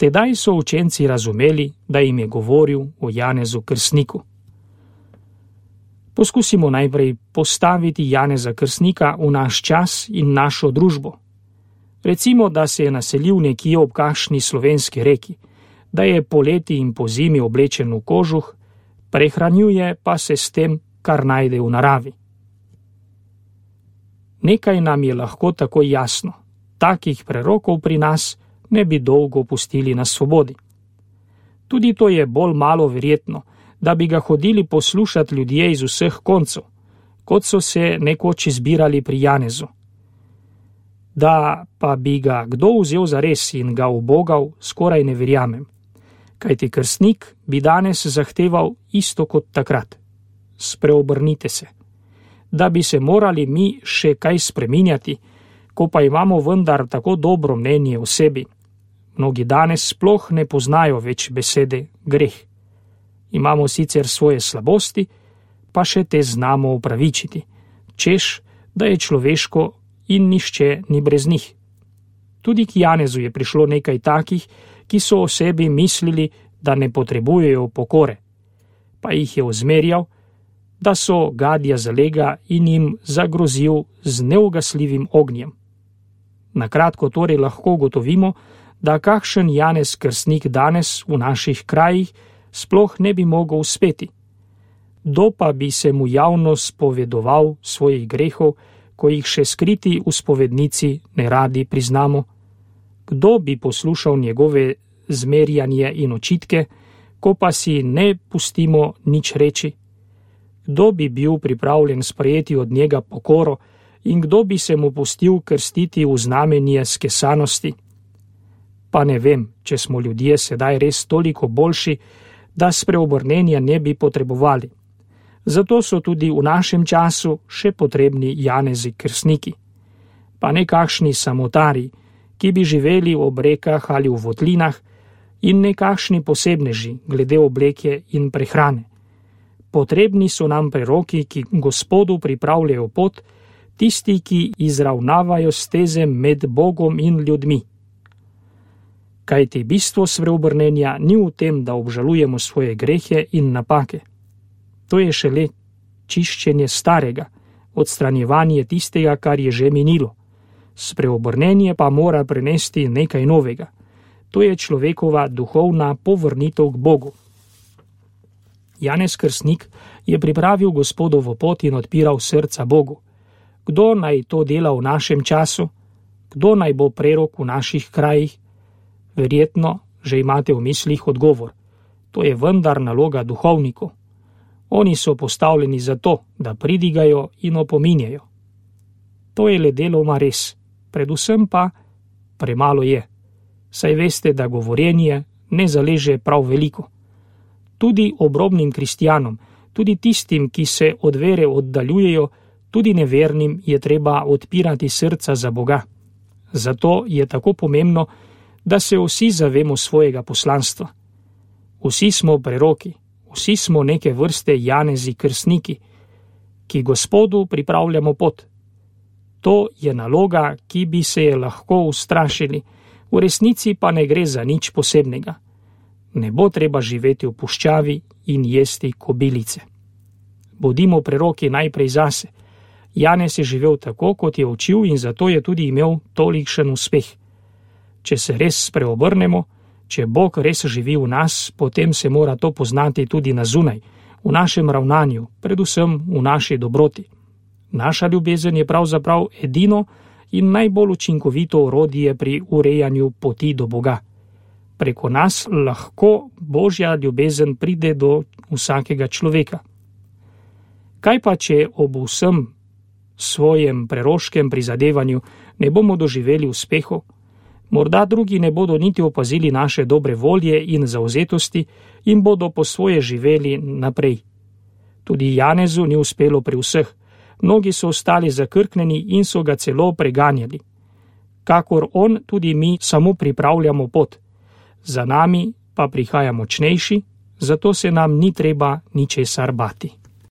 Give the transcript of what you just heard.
Tedaj so učenci razumeli, da jim je govoril o Janezu Krstniku. Poskusimo najprej postaviti Janeza Krstnika v naš čas in našo družbo. Recimo, da se je naselil nekje ob kakšni slovenski reki, da je poleti in pozimi oblečen v kožuh, prehranjuje pa se s tem, kar najde v naravi. Nekaj nam je lahko tako jasno, takih prerokov pri nas ne bi dolgo pustili na svobodi. Tudi to je bolj malo verjetno, da bi ga hodili poslušati ljudje iz vseh koncev, kot so se nekoč izbirali pri Janezu. Da pa bi ga kdo vzel zares in ga ubogal, skoraj ne verjamem, kajti krstnik bi danes zahteval isto kot takrat. Spreobrnite se. Da bi se morali mi še kaj spreminjati, ko pa imamo vendar tako dobro mnenje o sebi. Mnogi danes sploh ne poznajo več besede greh. Imamo sicer svoje slabosti, pa še te znamo upravičiti, češ, da je človeško in nišče ni brez njih. Tudi k Janezu je prišlo nekaj takih, ki so o sebi mislili, da ne potrebujejo pokore, pa jih je ozmerjal, da so gadja zalega in jim zagrozil z neugasljivim ognjem. Na kratko torej lahko ugotovimo, da kakšen Janez Krstnik danes v naših krajih sploh ne bi mogel uspeti. Kdo pa bi se mu javno spovedoval svojih grehov, ko jih še skriti v spovednici ne radi priznamo? Kdo bi poslušal njegove zmerjanje in očitke, ko pa si ne pustimo nič reči? Kdo bi bil pripravljen sprejeti od njega pokoro in kdo bi se mu pustil krstiti v znamenje skesanosti? Pa ne vem, če smo ljudje sedaj res toliko boljši, da spreobrnenja ne bi potrebovali. Zato so tudi v našem času še potrebni Janezi Krstniki. Pa nekakšni samotari, ki bi živeli ob rekah ali v votlinah, in nekakšni posebneži glede obleke in prehrane. Potrebni so nam preroki, ki Gospodu pripravljajo pot, tisti, ki izravnavajo steze med Bogom in ljudmi. Kajti bistvo spreobrnenja ni v tem, da obžalujemo svoje grehe in napake. To je šele čiščenje starega, odstranjevanje tistega, kar je že minilo. Spreobrnenje pa mora prinesti nekaj novega. To je človekova duhovna povrnitev k Bogu. Janez Krstnik je pripravil Gospodovo pot in odpiral srca Bogu. Kdo naj to dela v našem času? Kdo naj bo prerok v naših krajih? Verjetno že imate v mislih odgovor. To je vendar naloga duhovnikov. Oni so postavljeni za to, da pridigajo in opominjajo. To je le deloma res, predvsem pa premalo je. Saj veste, da govorjenje ne zaleže prav veliko. Tudi obrobnim kristjanom, tudi tistim, ki se od vere oddaljujejo, tudi nevernim je treba odpirati srca za Boga. Zato je tako pomembno, da se vsi zavemo svojega poslanstva. Vsi smo preroki, vsi smo neke vrste Janezi Krstniki, ki Gospodu pripravljamo pot. To je naloga, ki bi se je lahko ustrašili, v resnici pa ne gre za nič posebnega. Ne bo treba živeti v puščavi in jesti kobilice. Bodimo preroki najprej zase. Janez je živel tako, kot je učil in zato je tudi imel tolikšen uspeh. Če se res spreobrnemo, če Bog res živi v nas, potem se mora to poznati tudi na zunaj, v našem ravnanju, predvsem v naši dobroti. Naša ljubezen je pravzaprav edino in najbolj učinkovito orodje pri urejanju poti do Boga. Preko nas lahko Božja ljubezen pride do vsakega človeka. Kaj pa, če ob vsem svojem preroškem prizadevanju ne bomo doživeli uspehov? Morda drugi ne bodo niti opazili naše dobre volje in zauzetosti in bodo po svoje živeli naprej. Tudi Janezu ni uspelo pri vseh. Mnogi so ostali zakrknjeni in so ga celo preganjali. Kakor on, tudi mi samo pripravljamo pot. Za nami pa prihaja močnejši, zato se nam ni treba ničesar bati.